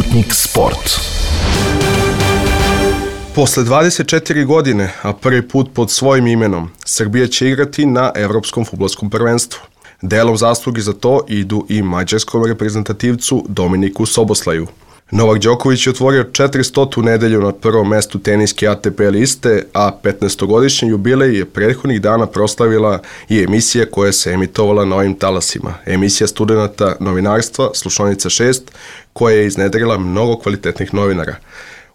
Sputnik Sport. Posle 24 godine, a prvi put pod svojim imenom, Srbija će igrati na Evropskom fudbalskom prvenstvu. Delom zasluge za to idu i mađarskom reprezentativcu Dominiku Soboslaju. Novak Đoković je otvorio 400. nedelju na prvom mestu teniske ATP liste, a 15-godišnji jubilej je prethodnih dana proslavila i emisija koja se emitovala na ovim talasima. Emisija studenata novinarstva, Slušaonica 6, koja je iznedrila mnogo kvalitetnih novinara.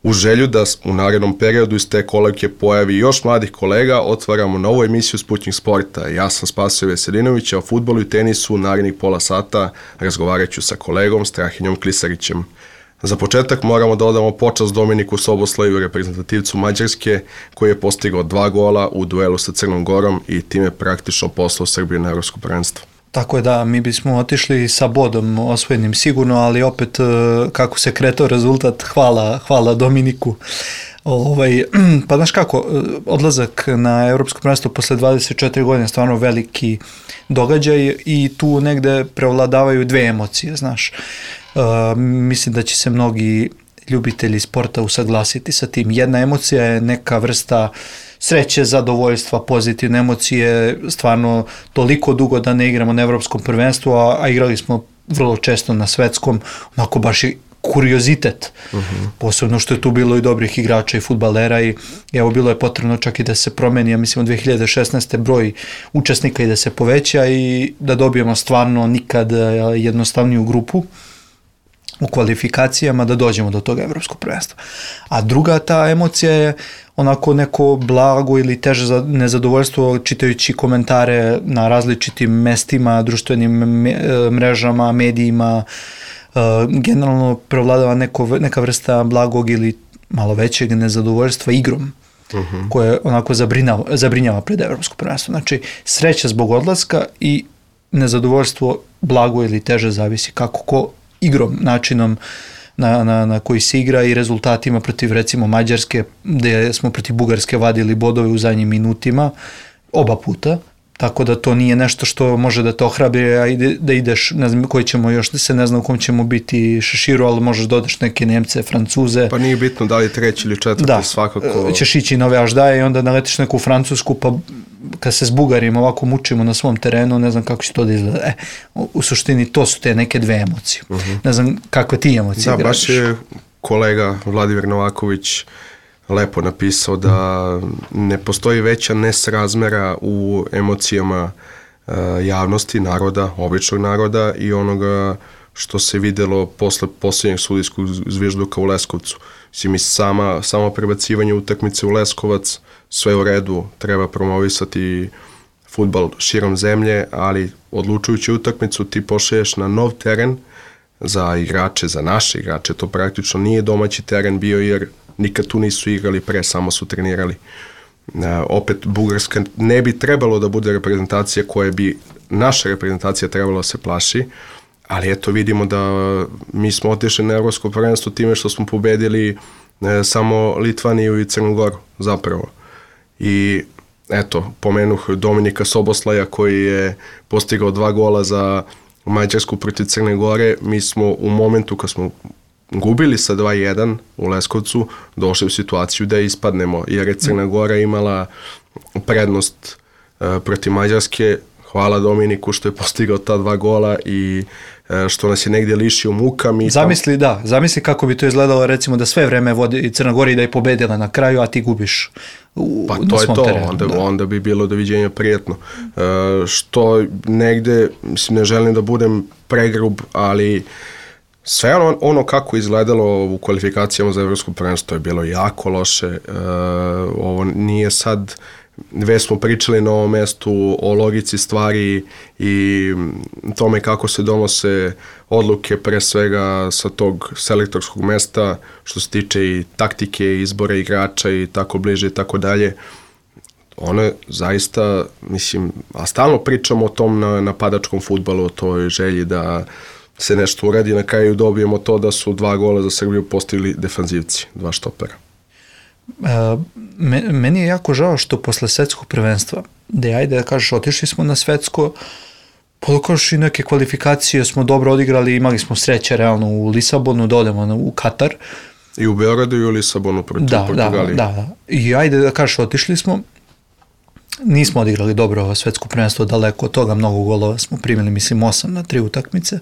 U želju da u narednom periodu iz te kolevke pojavi još mladih kolega, otvaramo novu emisiju Sputnik Sporta. Ja sam Spasio Veselinović, a o fudbalu i tenisu u narednih pola sata razgovarat ću sa kolegom Strahinjom Klisarićem. Za početak moramo da odamo počast Dominiku Soboslaju, reprezentativcu Mađarske, koji je postigao 2 gola u duelu sa Crnom Gorom i time praktično poslao Srbiju na evropsko prvenstvo. Tako je, da, mi bismo otišli sa bodom osvojenim sigurno, ali opet kako se kretao rezultat, hvala Dominiku. Pa znaš kako, odlazak na evropsko prvenstvo posle 24 godine je stvarno veliki događaj i tu negde prevladavaju dve emocije, znaš. Mislim da će se mnogi ljubitelji sporta usaglasiti sa tim. Jedna emocija je neka vrsta sreće, zadovoljstva, pozitivne emocije, stvarno toliko dugo da ne igramo na evropskom prvenstvu, a igrali smo vrlo često na svetskom, onako baš i kuriozitet, posebno što je tu bilo i dobrih igrača i fudbalera i evo bilo je potrebno čak i da se promeni, ja mislim od 2016. broj učesnika i da se poveća i da dobijemo stvarno nikad jednostavniju grupu u kvalifikacijama da dođemo do toga evropskog prvenstva. A druga ta emocija je onako neko blago ili teže nezadovoljstvo čitajući komentare na različitim mestima, društvenim mrežama, medijima. Generalno prevladava neka vrsta blagog ili malo većeg nezadovoljstva igrom, koje onako zabrinjava pred evropsko prvenstvo. Znači, sreća zbog odlaska i nezadovoljstvo blago ili teže zavisi kako ko igrom, načinom na koji se igra i rezultatima protiv recimo Mađarske, gde smo protiv Bugarske vadili bodove u zadnjim minutima, oba puta, tako da to nije nešto što može da te ohrabri, a da ideš, ne znam koji ćemo još, ne znam u kom ćemo biti šeširu, ali možeš da odeš neke Nemce, Francuze. Pa nije bitno da li treći ili četvrti, da, svakako. Ćeš ići nove aždaje i onda naletiš neku Francusku, pa kad se s Bugarima ovako mučimo na svom terenu, ne znam kako će to da izgleda. U suštini to su te neke dve emocije. Ne znam kakve ti emocije gradiš. Da, baš je kolega Vladimir Novaković lepo napisao da ne postoji veća nesrazmera u emocijama javnosti, naroda, običnog naroda i onoga što se videlo posle posljednjeg sudijskog zvižduka u Leskovcu. Mislim, samo prebacivanje utakmice u Leskovac, sve u redu, treba promovisati fudbal širom zemlje, ali odlučujući utakmicu ti pošalješ na nov teren za igrače, za naše igrače, to praktično nije domaći teren bio jer nikad tu nisu igrali pre, samo su trenirali. Opet Bugarska ne bi trebalo da bude reprezentacija koja bi naša reprezentacija trebala da se plaši, ali eto vidimo da mi smo otišli na evropsko prvenstvo time što smo pobedili samo Litvaniju i Crnu Goru zapravo. I eto, pomenuh Dominika Soboslaja koji je postigao 2 gola za Mađarsku protiv Crne Gore. Mi smo u momentu kad smo gubili sa 2-1 u Leskovcu, došli u situaciju da ispadnemo, jer je Crna Gora imala prednost protiv Mađarske. Hvala Dominiku što je postigao ta 2 gola i što nas je negdje lišio muka. Zamisli kako bi to izgledalo recimo da sve vreme vodi Crna Gora i da je pobedila na kraju, a ti gubiš na svom terenu. Onda bi bilo doviđenja prijetno. Što negde, mislim, ne želim da budem pregrub, ali sve ono kako izgledalo u kvalifikacijama za evropsko prvenstvo je bilo jako loše. Ovo nije sad, već smo pričali na ovom mestu o logici stvari i tome kako se donose odluke pre svega sa tog selektorskog mesta što se tiče i taktike, izbora igrača i tako bliže i tako dalje. Ono je zaista, mislim, a stalno pričamo o tom napadačkom fudbalu, o toj želji da se nešto uradi, na kraju dobijemo to da su 2 gola za Srbiju postigli defanzivci, 2 štopera. Meni je jako žao što posle svetskog prvenstva, gde ajde da kažeš otišli smo na svetsko, Podokoš i neke kvalifikacije smo dobro odigrali, imali smo sreće realno u Lisabonu, da odemo u Katar. I u Beogradu i u Lisabonu protiv Portugalije. Da. I ajde da kažeš, otišli smo, nismo odigrali dobro svetsko prvenstvo, daleko od toga, mnogo golova smo primili, mislim 8 na 3 utakmice,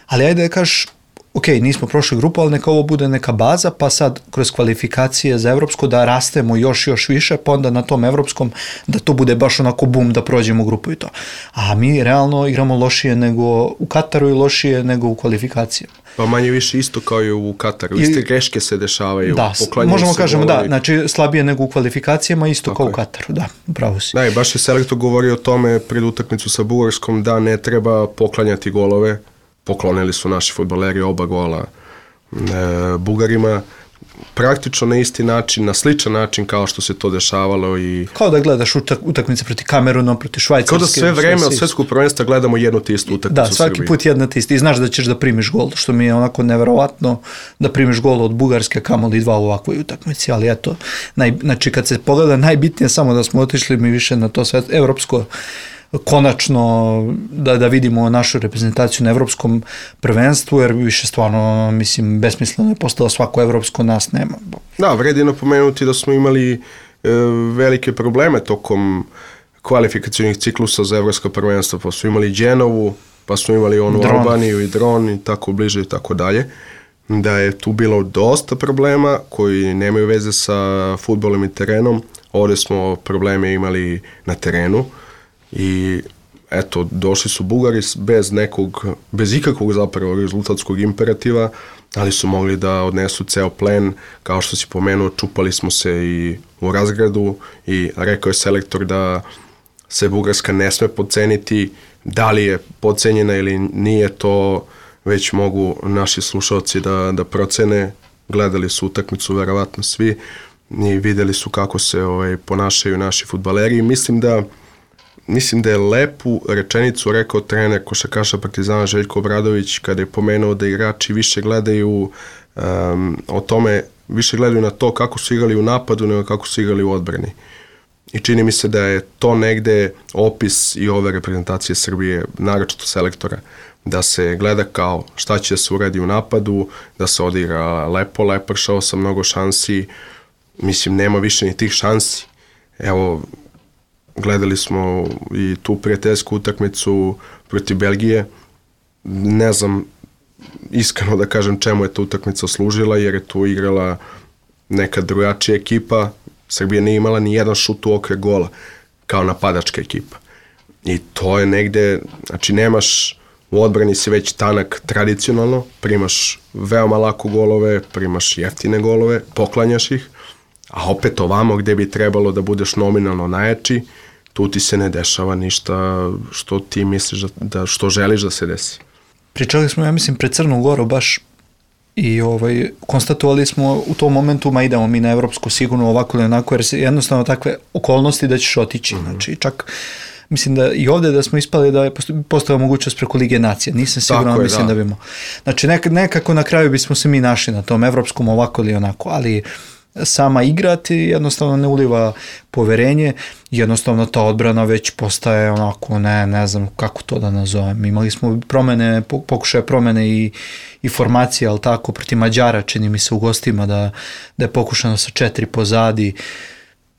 ali ajde da kažeš, ok, nismo prošli grupu, ali neka ovo bude neka baza, pa sad kroz kvalifikacije za evropsko da rastemo još više, pa onda na tom evropskom da to bude baš onako bum da prođemo grupu i to. A mi realno igramo lošije nego u Kataru i lošije nego u kvalifikacijama. Pa manje više isto kao i u Kataru. Iste greške se dešavaju. Da, možemo kažemo da, znači slabije nego u kvalifikacijama, isto tako kao u Kataru, da, upravo si. Da, i baš je selektor govorio o tome pred utakmicu sa Bugarskom da ne treba poklanjati golove. Poklonili su naši fudbaleri oba gola Bugarima. Praktično na isti način, na sličan način kao što se to dešavalo i... Kao da gledaš utakmice proti Kameruna, proti Švajcarske. Kao da sve vreme od svetskog prvenstva gledamo jednu te istu utakmicu u Srbiji. Da, svaki put jedna te isti. I znaš da ćeš da primiš gol, što mi je onako neverovatno da primiš gol od Bugarske, kamoli 2 u ovakvoj utakmici, ali eto, znači kad se pogleda, najbitnije samo da smo otišli mi više na to sve evropsko, konačno da vidimo našu reprezentaciju na evropskom prvenstvu, jer više stvarno, mislim, besmisleno je postalo svako evropsko, nas nema. Da, vredi napomenuti da smo imali velike probleme tokom kvalifikacijnih ciklusa za evropsko prvenstvo, pa smo imali Genovu, pa smo imali onu Albaniju i Dron i tako bliže i tako dalje. Da je tu bilo dosta problema koji nemaju veze sa fudbalom i terenom. Ovdje smo probleme imali na terenu. I eto, došli su Bugari bez ikakvog zapravo rezultatskog imperativa, ali su mogli da odnesu ceo plen, kao što si pomenuo, čupali smo se i u razgradu i rekao je selektor da se Bugarska ne sme podceniti, da li je podcenjena ili nije, to već mogu naši slušalci da procene, gledali su utakmicu verovatno svi i videli su kako se ponašaju naši fudbaleri i mislim da je lepu rečenicu rekao trener košarkaša Partizana Željko Obradović kada je pomenuo da igrači više gledaju više gledaju na to kako su igrali u napadu nego kako su igrali u odbrani. I čini mi se da je to negde opis i ove reprezentacije Srbije, naročito selektora, da se gleda kao šta će se uradi u napadu, da se odigra lepo, lepršao sa mnogo šansi, mislim nema više ni tih šansi. Evo, gledali smo i tu prijateljsku utakmicu protiv Belgije. Ne znam, iskreno da kažem čemu je ta utakmica služila, jer je tu igrala neka drugačija ekipa. Srbija nije imala ni jedan šut u okvir gola, kao napadačka ekipa. I to je negde, znači nemaš, u odbrani si već tanak tradicionalno, primaš veoma lako golove, primaš jeftine golove, poklanjaš ih, a opet ovamo gde bi trebalo da budeš nominalno najjači, tu ti se ne dešava ništa što ti misliš što želiš da se desi. Pričali smo, ja mislim, pred Crnu Goru baš i konstatovali smo u tom momentu, ma idemo mi na evropsku sigurno ovako ili onako, jer se jednostavno takve okolnosti da ćeš otići. Znači, čak mislim da i ovdje da smo ispali da je postala mogućnost preko Lige nacija. Nisam siguran, mislim da bimo. Znači, nekako na kraju bismo se mi našli na tom evropskom ovako ili onako, ali sama igrati jednostavno ne uliva poverenje, jednostavno ta odbrana već postaje onako, ne znam kako to da nazovem. Imali smo pokušaje promene i formacije, ali tako, protiv Mađara, čini mi se u gostima da je pokušano sa 4 pozadi.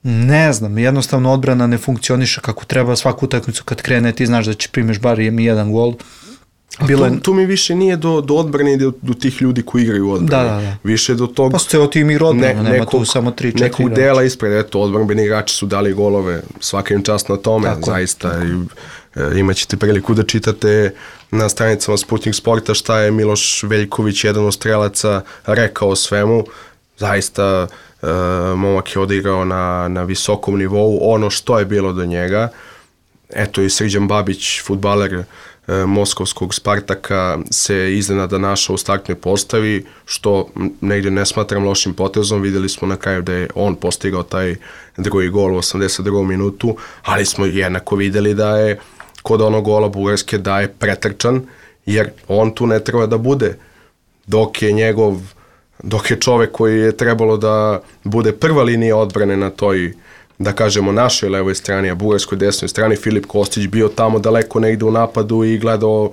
Ne znam, jednostavno odbrana ne funkcioniše kako treba, svaku utakmicu kad krene ti znaš da će primiš bar jedan gol. Tu mi više nije do odbrane i do tih ljudi koji igraju u odbrani. Da. Više do tog... Pa ste o tim igra odbrana, nema tu samo 3-4 nekog dela ispred, eto, odbrambeni igrači su dali golove, svaka im čast na tome, tako, zaista. Tako. Imaćete priliku da čitate na stranicama Sputnik Sporta šta je Miloš Veljković, jedan od strelaca, rekao o svemu. Zaista momak je odigrao na visokom nivou, ono što je bilo do njega. Eto i Srđan Babić, fudbaler moskovskog Spartaka, se iznenada našao u startnoj postavi, što negdje ne smatram lošim potezom. Vidjeli smo na kraju da je on postigao taj drugi gol u 82. minutu, ali smo jednako vidjeli da je kod onog gola Bugarske da je pretrčan, jer on tu ne treba da bude. Dok je čovek koji je trebalo da bude prva linija odbrane da kažemo, našoj levoj strani, a bugarskoj desnoj strani, Filip Kostić bio tamo daleko negde u napadu i gledao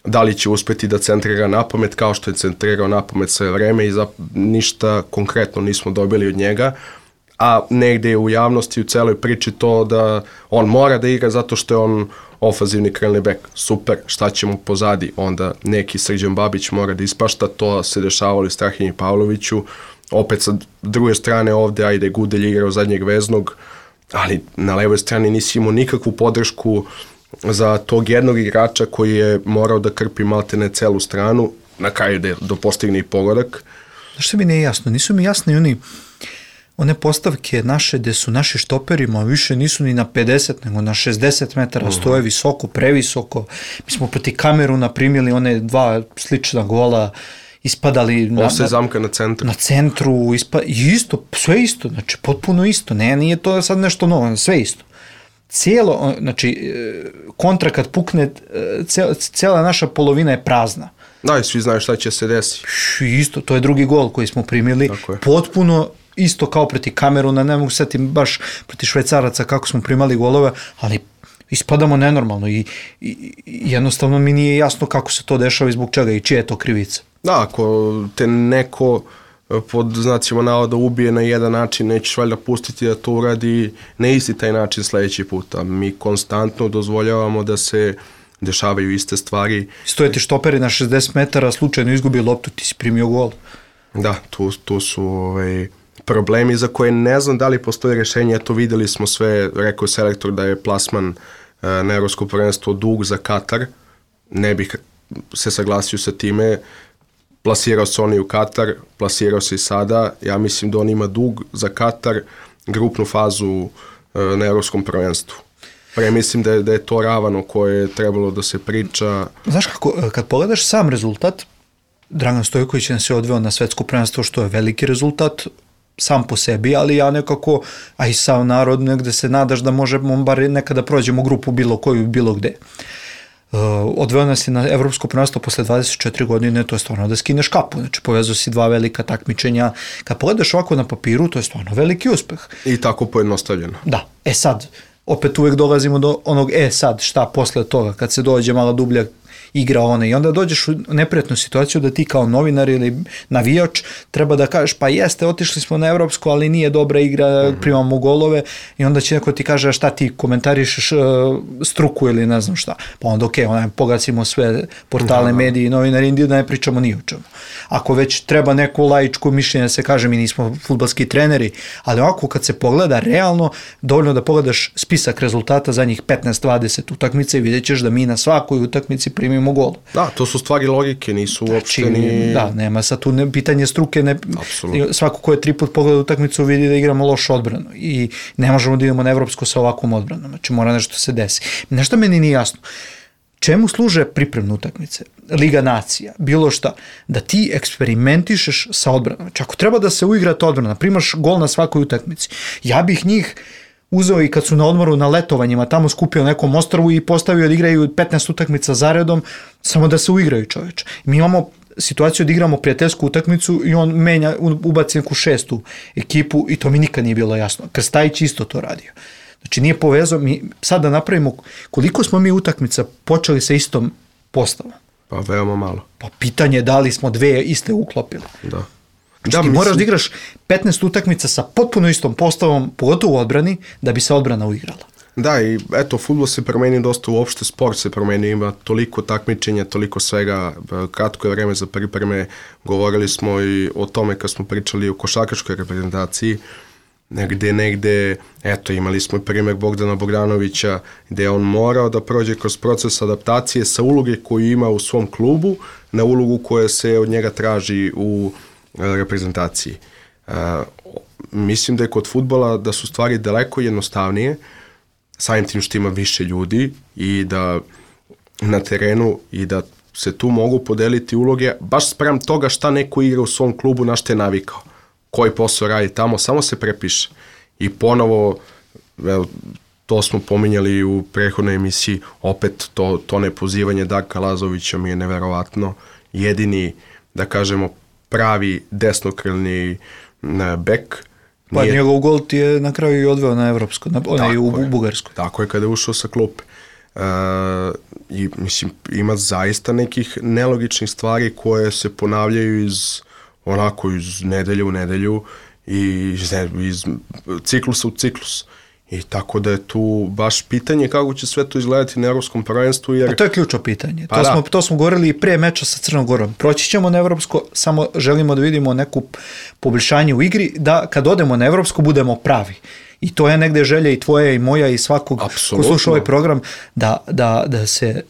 da li će uspeti da centrira napamet, kao što je centrirao napamet sve vreme i ništa konkretno nismo dobili od njega, a negde je u javnosti u celoj priči to da on mora da igra zato što je on ofanzivni krilni bek. Super, šta ćemo pozadi? Onda neki Srđan Babić mora da ispašta, to se dešavalo i Strahinji Pavloviću. Opet sa druge strane ovde, ajde, Gudelj igrao zadnjeg veznog, ali na levoj strani nisi imao nikakvu podršku za tog jednog igrača koji je morao da krpi maltene celu stranu, na kraju da postigne i pogodak. Znaš što mi nije jasno? Nisu mi jasni one postavke naše gde su naši štoperima više nisu ni na 50 nego na 60 metara, stoje visoko, previsoko. Mi smo proti Kameruna primili one 2 slična gola, ispadali zamka na centru. Na centru, isto, sve isto, znači potpuno isto, nije to sad nešto novo, sve isto. Cijelo, znači, kontra kad pukne, cijela naša polovina je prazna. Da, i svi znaju šta će se desiti. Isto, to je drugi gol koji smo primili, potpuno isto kao proti Kameruna, ne mogu setiti baš proti Švajcaraca kako smo primali golove, ali ispadamo nenormalno i jednostavno mi nije jasno kako se to dešava i zbog čega i čija je to krivica. Da, ako te neko pod znacima navoda ubije na jedan način, nećeš valjda pustiti da to uradi na isti taj način sledeći puta. Mi konstantno dozvoljavamo da se dešavaju iste stvari. Stoje ti štoperi na 60 metara, slučajno izgubi loptu, ti si primio gol. Da, tu su problemi za koje ne znam da li postoje rješenje. Eto, videli smo sve, rekao je selektor da je plasman na Evropsko prvenstvo dug za Katar. Ne bih se saglasio sa time. Plasirao se on i u Katar, plasirao se i sada. Ja mislim da on ima dug za Katar, grupnu fazu na Evropskom prvenstvu. Mislim da je to ravan o kojoj je trebalo da se priča. Znaš kako, kad pogledaš sam rezultat, Dragan Stojković nas je odveo na svetsko prvenstvo, što je veliki rezultat sam po sebi, ali ja nekako, a i sav narod, negde se nadaš da možemo bar nekada prođemo grupu bilo koju, bilo gde. Odveo nas je na Evropsko prvenstvo posle 24 godine, to je stvarno da skineš kapu, znači povezao si 2 velika takmičenja. Kad pogledaš ovako na papiru, to je stvarno veliki uspeh. I tako pojednostavljeno. Da, sad, opet uvek dolazimo do onog, sad, šta posle toga, kad se dođe malo dublja igra i onda dođeš u neprijatnu situaciju da ti kao novinar ili navijač treba da kažeš pa jeste, otišli smo na evropsko, ali nije dobra igra, primamo golove i onda će neko ti kaže šta ti komentarišeš struku ili ne znam šta. Pa onda pogacimo sve portale, mediji i novinari, da ne pričamo ni o čemu. Ako već treba neko laičko mišljenje da se kaže mi nismo fudbalski treneri, ali ovako kad se pogleda realno, dovoljno da pogledaš spisak rezultata zadnjih 15-20 utakmica i vidjet ćeš da mi na svakoj utakmici primimo gol. Da, to su stvari logike, nisu uopšte ni... Da, nema sad tu pitanje struke, svako ko je 3 put pogleda utakmicu vidi da igramo lošu odbranu i ne možemo da idemo na evropsko sa ovakvom odbranom, znači mora nešto se desi. Nešto meni nije jasno. Čemu služe pripremne utakmice? Liga nacija, bilo šta, da ti eksperimentišeš sa odbranom. Znači ako treba da se uigra ta odbrana, primaš gol na svakoj utakmici, ja bih njih uzeo i kad su na odmoru na letovanjima, tamo skupio na nekom ostrvu i postavio da igraju 15 utakmica zaredom, samo da se uigraju čoveče. Mi imamo situaciju da igramo prijateljsku utakmicu i on menja, ubaci neku 6. ekipu i to mi nikad nije bilo jasno. Krstajić isto to radio. Znači nije povezao, mi sad da napravimo koliko smo mi utakmica počeli sa istom postavom. Pa veoma malo. Pa pitanje je da li smo 2 iste uklopili. Da. Znači ti moraš da igraš 15 utakmica sa potpuno istom postavom, pogotovo u odbrani, da bi se odbrana uigrala. Da, i eto, fudbal se promenio dosta, uopšte sport se promenio, ima toliko takmičenja, toliko svega, kratko je vreme za pripreme, govorili smo i o tome kad smo pričali o košarkaškoj reprezentaciji, negde, eto, imali smo primjer Bogdana Bogdanovića, gde je on morao da prođe kroz proces adaptacije sa uloge koju ima u svom klubu na ulogu koja se od njega traži u reprezentaciji. Mislim da je kod fudbala da su stvari daleko jednostavnije, samim tim što ima više ljudi i da na terenu i da se tu mogu podeliti uloge baš sprem toga šta neko igra u svom klubu, na šta je navikao, koji posao radi tamo, samo se prepiše. I ponovo, to smo pominjali u prethodnoj emisiji, opet to nepozivanje Darka Lazovića mi je neverovatno. Jedini, da kažemo, pravi desnokrilni bek Pa njegov gol ti je na kraju i odveo na evropsko, onaj u Bugarskoj. Tako je kada je ušao sa klupe. I mislim, ima zaista nekih nelogičnih stvari koje se ponavljaju iz nedelje u nedelju i iz ciklusa u ciklus. I tako da je tu baš pitanje kako će sve to izgledati na evropskom prvenstvu. Jer... A to je ključno pitanje. To smo govorili i pre meča sa Crnom Gorom. Proći ćemo na evropsko, samo želimo da vidimo neku poboljšanje u igri, da kad odemo na evropsko budemo pravi. I to je negde želja i tvoja i moja i svakog ko sluša ovaj program, da se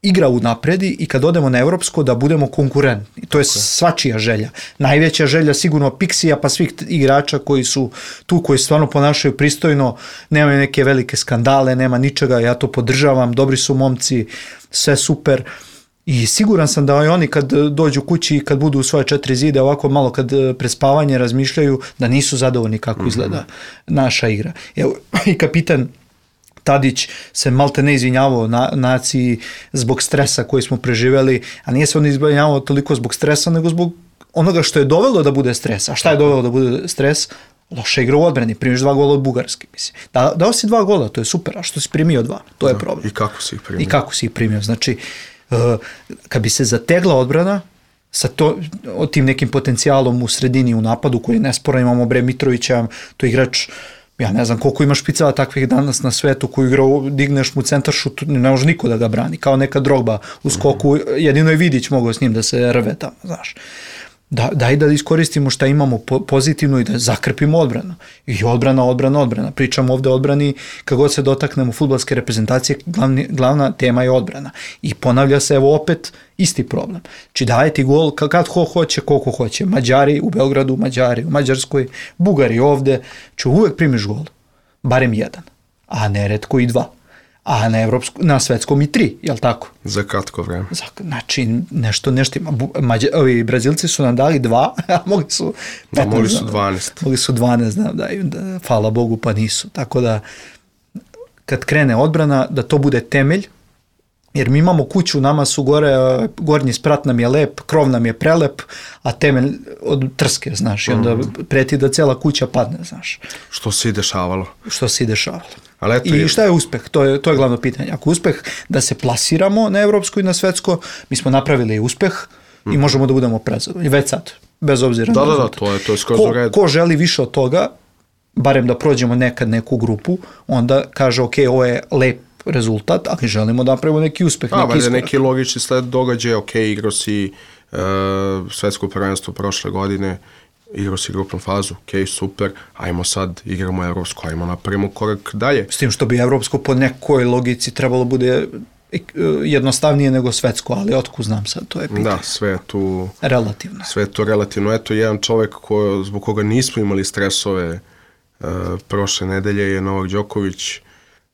igra unapredi i kad odemo na evropsko da budemo konkurentni. To je svačija želja. Najveća želja sigurno Pixija pa svih igrača koji su tu, koji stvarno ponašaju pristojno, nemaju neke velike skandale, nema ničega, ja to podržavam, dobri su momci, sve super. I siguran sam da i oni kad dođu kući i kad budu u svoje 4 zide, ovako malo kad prespavanje razmišljaju, da nisu zadovoljni kako izgleda naša igra. Evo, i kapitan Tadić se malte ne izvinjavao naciji zbog stresa koji smo preživeli, a nije se on izvinjavao toliko zbog stresa, nego zbog onoga što je dovelo da bude stres. A šta je dovelo da bude stres? Loša igra u odbrani, primiš 2 gola od Bugarske. Mislim. Dao si 2 gola, to je super, a što si primio 2? To je problem. I kako si ih primio? Znači, kad bi se zategla odbrana sa tim nekim potencijalom u sredini u napadu koji je nesporan, imamo Mitrovića, to je igrač, ja ne znam koliko ima špicala takvih danas na svetu koji igra, digneš mu centaršut, ne može niko da ga brani, kao neka Drogba u skoku, jedino je Vidić mogao s njim da se rve tamo, znaš. Daj da iskoristimo šta imamo pozitivno i da zakrpimo odbranu. I odbrana. Pričamo ovde o odbrani, kad god se dotaknemo fudbalske reprezentacije, glavna tema je odbrana. I ponavlja se evo opet isti problem. Či daje ti gol kad hoće, koliko hoće. Mađari u Beogradu, Mađari u Mađarskoj, Bugari ovde. Či uvek primiš gol. Barem 1. A neretko i 2. A na svetskom i 3, jel tako? Za kratko vreme. Znači, nešto ima. Ovi Brazilci su nam dali 2, a mogli su 15. Mogli su 12. Mogli su 12, znam, da, hvala Bogu, pa nisu. Tako da, kad krene odbrana, da to bude temelj, jer mi imamo kuću, nama su gornji sprat nam je lep, krov nam je prelep, a temelj od trske, znaš, i onda preti da cela kuća padne, znaš. Što se i dešavalo. I šta je uspeh? To je glavno pitanje. Ako uspeh da se plasiramo na evropsko i na svetsko, mi smo napravili uspeh i možemo da budemo prezadovoljni. Već sad, bez obzira na rezultat. To je skroz u redu. Ko želi više od toga, barem da prođemo nekad neku grupu, onda kaže, ok, ovo je lep rezultat, ali želimo da napravimo neki uspeh. Neki logični sled događaja, ok, igrao si svetsko prvenstvo prošle godine, igrao si grupnu fazu, ok, super, ajmo sad, igramo evropsko, ajmo napravimo korak dalje. S tim što bi evropsko po nekoj logici trebalo bude jednostavnije nego svetsko, ali otkud znam sad, to je pitanje. Da, sve je tu relativno. Sve je tu relativno. Eto, jedan čovek zbog koga nismo imali stresove prošle nedelje je Novak Đoković,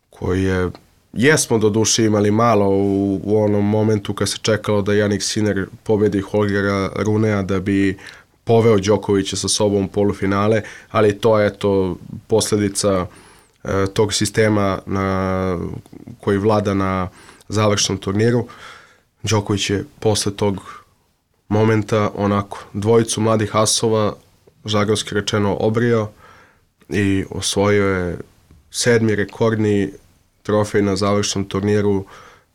koji jesmo do duše imali malo u onom momentu kad se čekalo da Jannik Sinner pobedi Holgera Runea da bi poveo Đokovića sa sobom u polufinale, ali to je posljedica tog sistema koji vlada na završnom turniru. Đoković je posle tog momenta onako dvojicu mladih asova, žargonski rečeno, obrio i osvojio je 7. rekordni trofej na završnom turniru.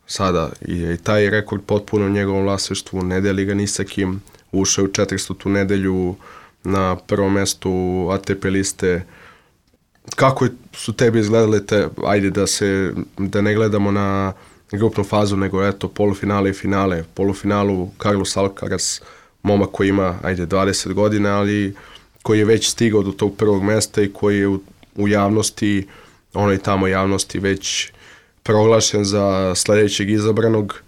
Sada je i taj rekord potpuno u njegovom vlasništvu, ne deli ga ni sa kim. Ušao u 400. nedelju na prvom mestu ATP liste. Kako su tebi izgledale ajde da ne gledamo na grupnu fazu, nego polufinale i finale. Polufinalu Carlos Alcaraz, momak koji ima 20 godina, ali koji je već stigao do tog prvog mesta i koji je u javnosti, onoj tamo javnosti već proglašen za sledećeg izabranog.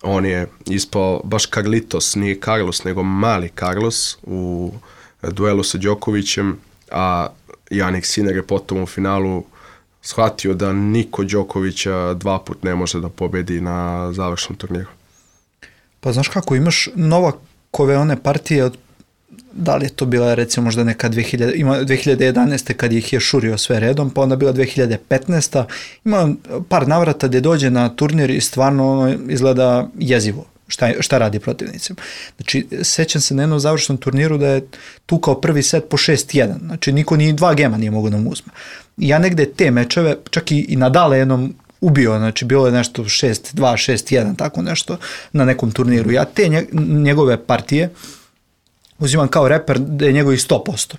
On je ispao baš Carlitos, nije Carlos, nego mali Carlos u duelu sa Đokovićem, a Jannik Sinner je potom u finalu shvatio da niko Đokovića 2 put ne može da pobedi na završnom turniru. Pa znaš kako, imaš Novakove one partije, da li je to bila recimo možda neka 2011. kad ih je šurio sve redom, pa onda bila 2015. Ima par navrata gdje dođe na turnir i stvarno izgleda jezivo. šta radi protivnicima. Znači, sećam se na jednom završnom turniru da je tukao prvi set po 6-1. Znači, niko ni 2 gema nije mogao da mu uzme. Ja negde te mečeve, čak i Nadala jednom ubio, znači bilo je nešto 6-2, 6-1, tako nešto na nekom turniru. Ja te njegove partije uzimam kao reper da je njegovi 100%.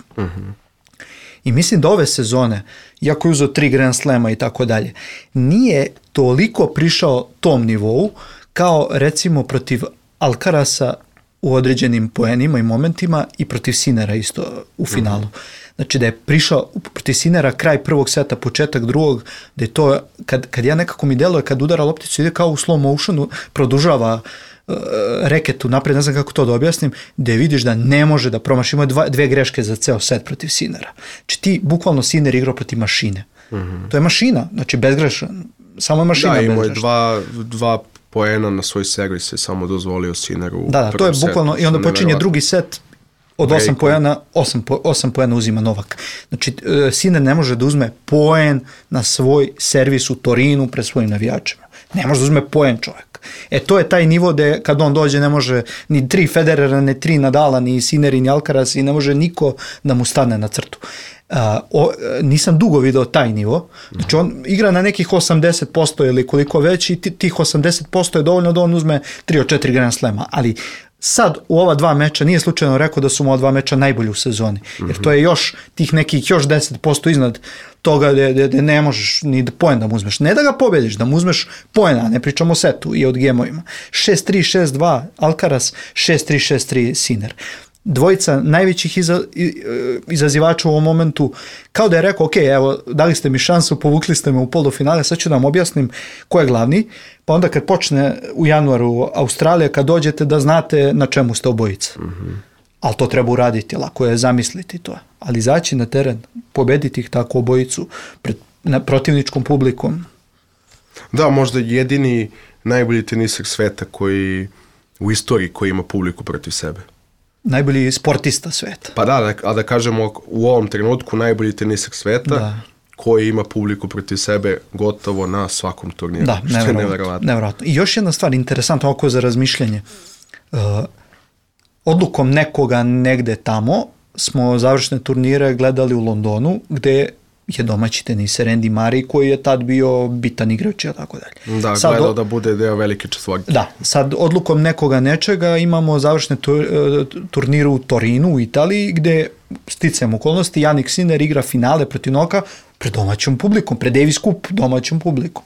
I mislim da ove sezone, iako je uzeo 3 Grand Slema i tako dalje, nije toliko prišao tom nivou kao recimo protiv Alcarasa u određenim poenima i momentima i protiv Sinera isto u finalu. Znači da je prišao protiv Sinera kraj prvog seta, početak drugog, da je to, kad ja nekako mi deluje, kad udara lopticu ide kao u slow motionu, produžava reketu napred, ne znam kako to da objasnim, da vidiš da ne može da promaši. Imao 2 greške za ceo set protiv Sinera. Znači ti bukvalno Sinner igrao protiv mašine. To je mašina, znači bezgrešan. Samo je mašina bezgrešna. Da, imao je 2 poena na svoj servis je samo dozvolio Sinneru. Da, to je bukvalno, i onda počinje drugi set od 8 poena, 8 poena uzima Novak. Znači, Sinner ne može da uzme poen na svoj servis u Torinu pred svojim navijačima. Ne može da uzme poen čovjek. To je taj nivo da kad on dođe ne može ni 3 Federera, ni 3 Nadala, ni Sinneri, ni Alcaraz i ne može niko da mu stane na crtu. Nisam dugo video taj nivo. Znači on igra na nekih 80% ili koliko već i tih 80% je dovoljno da on uzme 3 od 4 Grand Slema, ali sad u ova 2 meča nije slučajno rekao da su mu ova 2 meča najbolji u sezoni, jer to je još tih nekih još 10% iznad toga da ne možeš ni poen da mu uzmeš, ne da ga pobediš, da mu uzmeš poena, ne pričamo o setu i od gemovima. 6-3, 6-2 Alcaraz, 6-3, 6-3 Sinner. Dvojica najvećih izazivača u ovom momentu, kao da je rekao, ok, evo, dali ste mi šansu, povukli ste me u polufinale, sad ću da vam objasnim ko je glavni, pa onda kad počne u januaru Australija, kad dođete da znate na čemu ste obojica. Ali to treba uraditi, lako je zamisliti to. Ali izaći na teren, pobediti ih tako obojicu pred protivničkom publikom. Da, možda jedini najbolji teniser sveta koji u istoriji koji ima publiku protiv sebe. Najbolji sportista sveta. Pa da, a da kažemo u ovom trenutku najbolji teniser sveta koji ima publiku protiv sebe gotovo na svakom turniru. Da, nevjerovatno. I još jedna stvar, interesantno oko za razmišljanje. Odlukom nekoga negde tamo smo završne turnire gledali u Londonu, gde je domaći teniser Andy Murray koji je tad bio bitan igrač i tako dalje. Da, sad gledao da bude deo velike četvorke. Da, sad odlukom nekoga nečega imamo završne turniru u Torinu u Italiji gde sticajem okolnosti Jannik Sinner igra finale protiv Novaka pred domaćom publikom, pred Davis Cup domaćom publikom.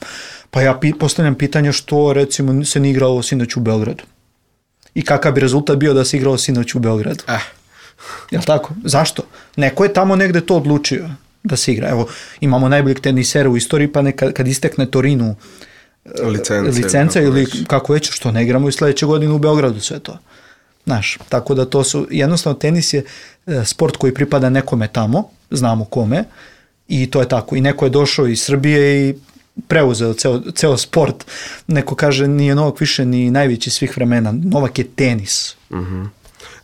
Pa ja postavljam pitanje što recimo se ne igralo sinoć u Beogradu. I kakav bi rezultat bio da se igralo sinoć u Beogradu? Jel' tako? Zašto? Neko je tamo negde to odlučio da se igra. Evo, imamo najboljeg tenisera u istoriji, pa kad istekne Torinu licence ili kako već, što ne igramo i sledeće godine u Beogradu sve to. Znaš, tako da to su, jednostavno tenis je sport koji pripada nekome tamo, znamo kome, i to je tako. I neko je došao iz Srbije i preuzeo ceo sport. Neko kaže nije Novak više ni najveći svih vremena. Novak je tenis.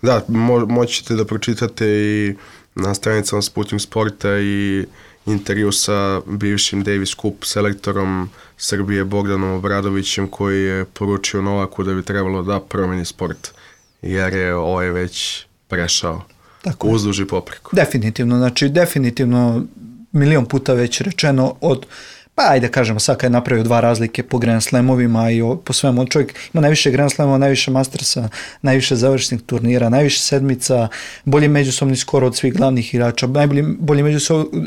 Da, moćete da pročitate i na stranicama Sputnik Sporta i intervju sa bivšim Davis Cup selektorom Srbije Bogdanom Obradovićem koji je poručio Novaku da bi trebalo da promeni sport jer je ovaj već prešao uzduž i popreko. Definitivno, znači definitivno milion puta već rečeno od, pa ajde kažemo sad kad je napravio 2 razlike po Grand Slamovima i po svemu, čovjek ima najviše Grand Slamova, najviše Mastersa, najviše završnih turnira, najviše sedmica, bolji međusobni skor od svih glavnih igrača, bolji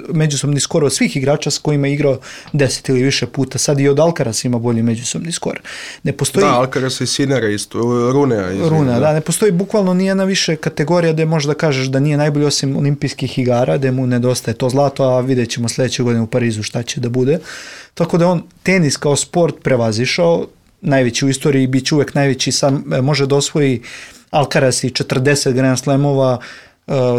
međusobni skor od svih igrača s kojima je igrao 10 ili više puta, sad i od Alcaraz ima bolji međusobni skor. Ne postoji... Da, Alcaraz i Sinnera isto, Runea. Da, ne postoji bukvalno nijedna više kategorija gde možda kažeš da nije najbolji osim olimpijskih igara, gde mu nedostaje to zlato, a vidjet ćemo sledeće godine u Parizu šta će da bude. Tako da on tenis kao sport prevazišao, najveći u istoriji, bit će uvek najveći, sad može da osvoji Alcaraz i 40 Grand Slamova,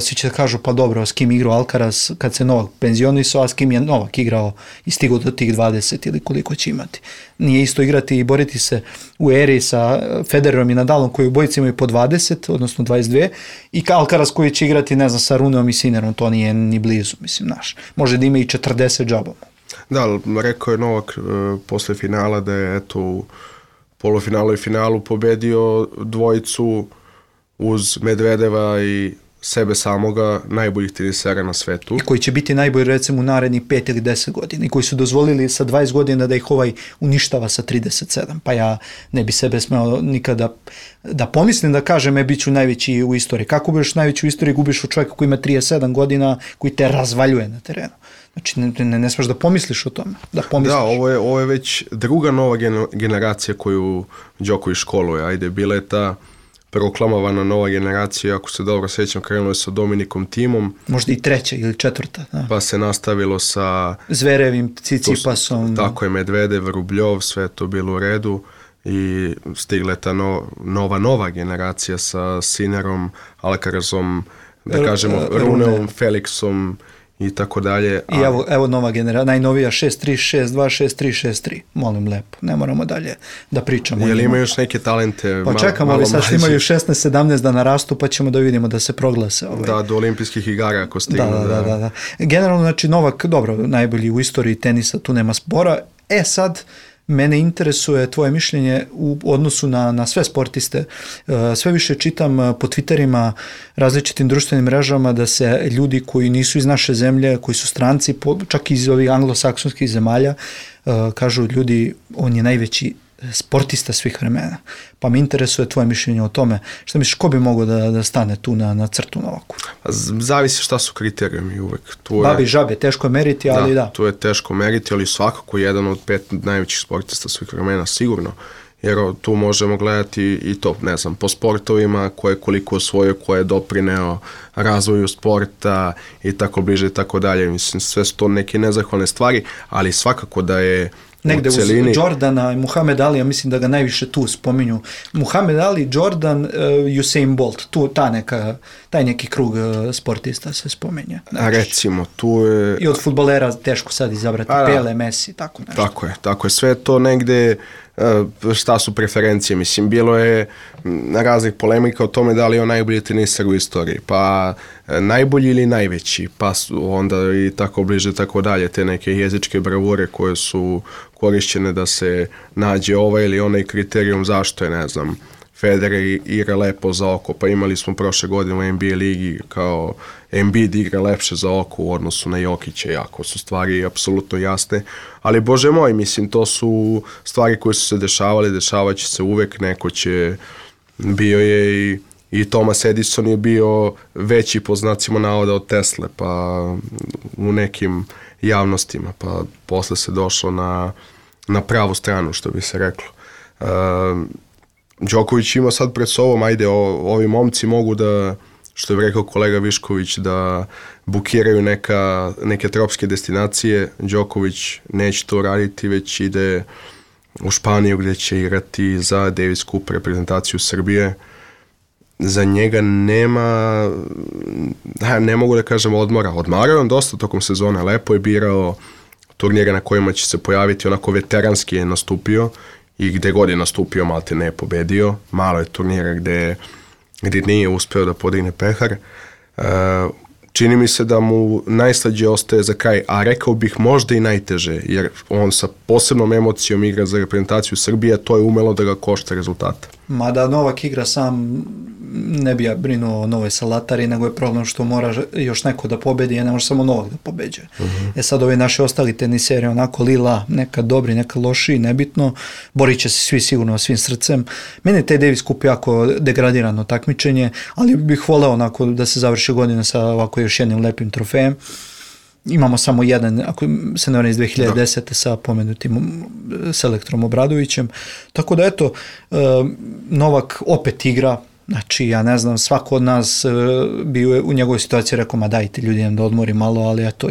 svi će da kažu pa dobro, s kim igrao Alcaraz kad se Novak penzionisao, a s kim je Novak igrao i stigao do tih 20 ili koliko će imati. Nije isto igrati i boriti se u eri sa Federerom i Nadalom koji obojice imaju po 20, odnosno 22, i Alcaraz koji će igrati, ne znam, sa Runeom i Sinnerom, to nije ni blizu, mislim, naš. Može da ima i 40 džabom. Da, rekao je Novak posle finala da je eto polufinalu i finalu pobedio dvojicu uz Medvedeva i sebe samoga najboljih tenisera na svetu. I koji će biti najbolji recimo u narednih 5 ili 10 godina i koji su dozvolili sa 20 godina da ih uništava sa 37. Pa ja ne bi sebe smeo nikada da pomislim da kažem bit ću najveći u istoriji. Kako budeš najveći u istoriji, gubiš u čovjeka koji ima 37 godina, koji te razvaljuje na terenu. Znači ne smeš da pomisliš o tome. Da, ovo je već druga nova generacija koju Đoković školuje. Ajde, bila je ta proklamovana nova generacija, ako se dobro sjećam, krenulo je sa Dominikom Thimom. Možda i treća ili četvrta. Da. Pa se nastavilo sa Zverevim, Cicipasom. Tako je, Medvedev, Rubljov, sve to bilo u redu i stigla je ta nova generacija sa Sinnerom, Alcarazom, da kažemo, Runeom, Felixom i tako dalje. I evo nova generacija, najnovija 6-3, 6-2, 6-3, 6-3. Molim lepo, ne moramo dalje da pričamo. Jel ima još neke talente? Pa čekamo li sad što imaju 16-17 da narastu, pa ćemo da vidimo da se proglase. Da, do olimpijskih igara ako stignu. Da. Generalno, znači Novak, dobro, najbolji u istoriji tenisa, tu nema spora. Sad, mene interesuje tvoje mišljenje u odnosu na sve sportiste. Sve više čitam po Twitterima, različitim društvenim mrežama da se ljudi koji nisu iz naše zemlje, koji su stranci, čak iz ovih anglosaksonskih zemalja, kažu ljudi, on je najveći sportista svih vremena. Pa me interesuje tvoje mišljenje o tome. Šta misliš, ko bi mogao da stane tu na crtu Novaku? Zavisi šta su kriterijumi uvek. Babi žabe, teško je meriti, ali da. Tu je teško meriti, ali svakako jedan od 5 najvećih sportista svih vremena, sigurno. Jer tu možemo gledati i to, ne znam, po sportovima, ko je koliko osvojio, ko je doprineo razvoju sporta i tako bliže i tako dalje. Mislim, sve su to neke nezahvalne stvari, ali svakako da je negde uz Jordana i Muhammed Ali, ja mislim da ga najviše tu spominju. Muhammed Ali, Jordan, Usain Bolt, taj neki krug sportista se spomenja. A recimo, tu je... I od fudbalera teško sad izabrati, Pele, Messi, tako nešto. Tako je, sve to negde, šta su preferencije, mislim, bilo je raznih polemika o tome da li je on najbolji teniser u istoriji, pa najbolji ili najveći, pa onda i tako bliže, tako dalje, te neke jezičke bravure koje su korišćene da se nađe ovaj ili onaj kriterijum zašto je, ne znam, Federer igra lepo za oko, pa imali smo prošle godine u NBA ligi kao Embiid igra lepše za oko u odnosu na Jokića, jako su stvari apsolutno jasne, ali bože moj, mislim, to su stvari koje su se dešavat će se uvek, bio je i Thomas Edison je bio veći po znacima navoda od Tesle, pa u nekim javnostima, pa posle se došlo na pravu stranu, što bi se reklo. Đoković ima sad pred sobom, ajde, ovi momci mogu da, što je rekao kolega Višković, da bukiraju neke tropske destinacije. Đoković neće to raditi, već ide u Španiju gdje će igrati za Davis Cup reprezentaciju Srbije. Za njega nema, ne mogu da kažem odmora. Odmarao on dosta tokom sezone, lepo je birao turnire na kojima će se pojaviti, onako veteranski je nastupio i gde god je nastupio malte ne je pobedio. Malo je turnira gde nije uspeo da podigne pehar. Čini mi se da mu najslađe ostaje za kraj, a rekao bih možda i najteže, jer on sa posebnom emocijom igra za reprezentaciju Srbije, to je umelo da ga košta rezultata. Mada Novak igra sam, ne bi ja brinuo o Novoj Salatari, nego je problem što mora još neko da pobedi, a ne može samo Novak da pobeđuje. Sad ovi naši ostali teniseri, onako lila, neka dobri, neka loši, nebitno, borit će se svi sigurno svim srcem. Meni je taj Davis Cup jako degradirano takmičenje, ali bih voleo onako da se završi godina sa ovako još jednim lepim trofejem. Imamo samo jedan, ako se ne varam iz 2010. sa pomenutim selektorom Obradovićem. Tako da eto, Novak opet igra, znači ja ne znam, svako od nas bi u njegovoj situaciji rekao, ma dajte ljudi da odmori malo, ali eto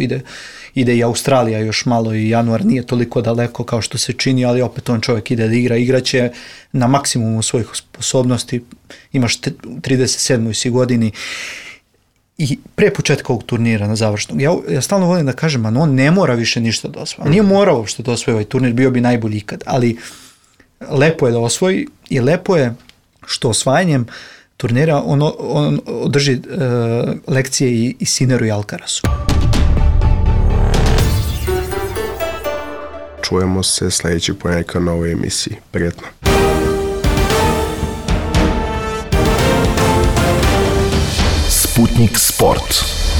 ide i Australija još malo i januar nije toliko daleko kao što se čini, ali opet on čovjek ide da igraće na maksimumu svojih sposobnosti, imaš 37. si godini. I pre početka ovog turnira na završnog, ja stalno volim da kažem, on ne mora više ništa da osvoji. On nije morao uopšte da osvoji ovaj turnir, bio bi najbolji ikad, ali lepo je da osvoji i lepo je što osvajanjem turnira on održi lekcije i Sinneru i Alcarazu. Čujemo se sljedećeg ponedjeljka na ovoj emisiji. Prijetno. Sputnik Sport.